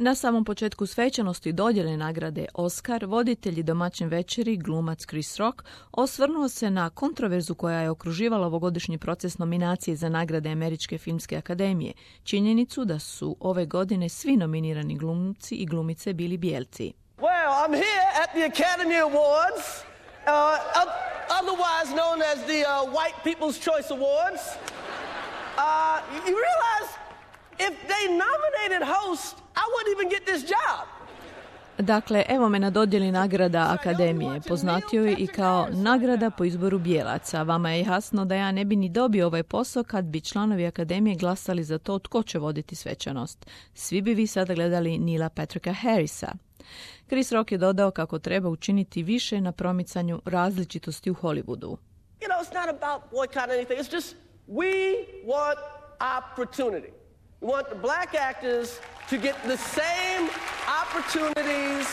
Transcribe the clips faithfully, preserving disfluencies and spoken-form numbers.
Na samom početku svečanosti dodjele nagrade Oscar, voditelj i domaćin večeri, glumac Chris Rock, osvrnuo se na kontroverzu koja je okruživala ovogodišnji proces nominacije za nagrade Američke filmske akademije, činjenicu da su ove godine svi nominirani glumci i glumice bili bijelci. Well, I'm here at the Academy Awards, uh, otherwise known as the uh, White People's Choice Awards. Uh, you realize if they nominated host, I wouldn't even get this job. Dakle, evo me na dodjeli nagrada Akademije. Poznatio je i kao nagrada po izboru bijelaca. Vama je jasno da ja ne bi ni dobio ovaj posao kad bi članovi Akademije glasali za to tko će voditi svečanost. Svi bi vi sada gledali Neila Patricka Harrisa. Chris Rock je dodao kako treba učiniti više na promicanju različitosti u Hollywoodu. You know, it's not about boycott or anything. It's just we want opportunity. We want the black actors to get the same opportunities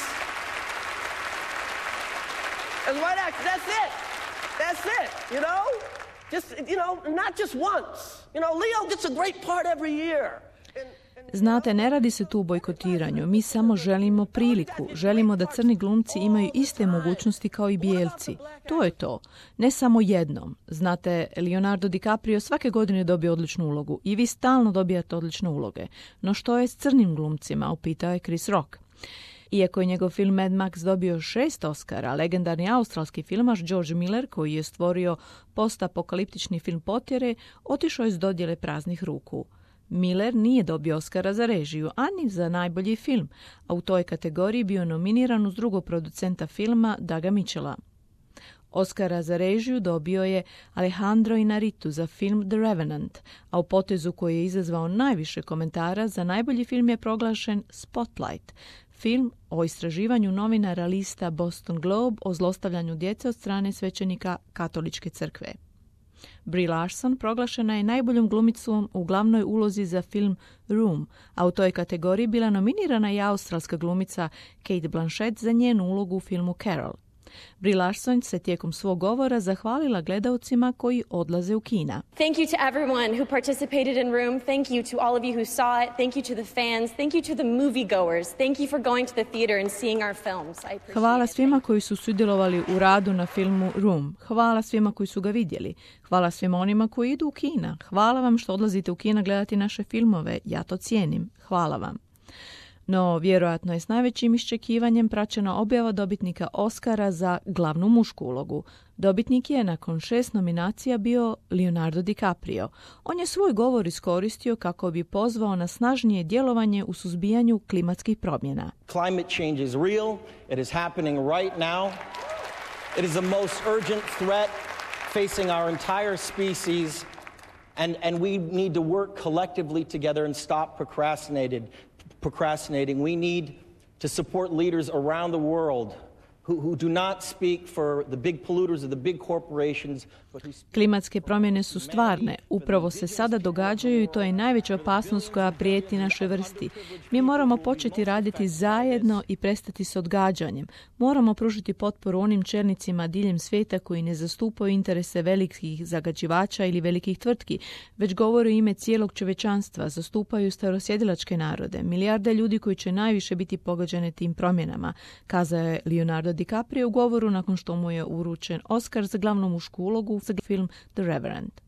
as white actors. That's it. That's it, you know? Just, you know, not just once. You know, Leo gets a great part every year. Znate, ne radi se tu o bojkotiranju. Mi samo želimo priliku. Želimo da crni glumci imaju iste mogućnosti kao i bijelci. To je to. Ne samo jednom. Znate, Leonardo DiCaprio svake godine dobije odličnu ulogu i vi stalno dobijate odlične uloge. No što je s crnim glumcima? Upitao je Chris Rock. Iako je njegov film Mad Max dobio šest Oscara, legendarni australski filmaš George Miller, koji je stvorio postapokaliptični film Potjere, otišao je s dodjele praznih ruku. Miller nije dobio Oscara za režiju, ani za najbolji film, a u toj kategoriji bio nominiran uz drugog producenta filma Douga Mitchella. Oscara za režiju dobio je Alejandro Inarritu za film The Revenant, a u potezu koji je izazvao najviše komentara za najbolji film je proglašen Spotlight, film o istraživanju novinara lista Boston Globe o zlostavljanju djece od strane svećenika Katoličke crkve. Brie Larson proglašena je najboljom glumicom u glavnoj ulozi za film Room, a u toj kategoriji bila nominirana i australska glumica Cate Blanchett za njenu ulogu u filmu Carol. Brie Larson se tijekom svog govora zahvalila gledaocima koji odlaze u kina. Thank you to everyone who participated in Room. Thank you to all of you who saw it. Thank you to the fans. Thank you to the moviegoers. Thank you for going to the theater and seeing our films. I appreciate Hvala svima koji su sudjelovali u radu na filmu Room. Hvala svima koji su ga vidjeli. Hvala svima onima koji idu u kina. Hvala vam što odlazite u kina gledati naše filmove. Ja to cijenim. Hvala vam. No, vjerojatno je s najvećim iščekivanjem praćena objava dobitnika Oscara za glavnu mušku ulogu. Dobitnik je nakon šest nominacija bio Leonardo DiCaprio. On je svoj govor iskoristio kako bi pozvao na snažnije djelovanje u suzbijanju klimatskih promjena. Climate change is real. It is happening right now. It is the most urgent threat facing our entire species, and, and we need to work collectively together and stop procrastinated. procrastinating. We need to support leaders around the world who, who do not speak for the big polluters or the big corporations. Klimatske promjene su stvarne. Upravo se sada događaju i to je najveća opasnost koja prijeti našoj vrsti. Mi moramo početi raditi zajedno i prestati s odgađanjem. Moramo pružiti potporu onim čelnicima diljem svijeta koji ne zastupaju interese velikih zagađivača ili velikih tvrtki, već govore u ime cijelog čovječanstva, zastupaju starosjedilačke narode, milijarde ljudi koji će najviše biti pogođene tim promjenama, kazao je Leonardo DiCaprio u govoru nakon što mu je uručen Oscar za glavnu mušku ulogu za film The Revenant.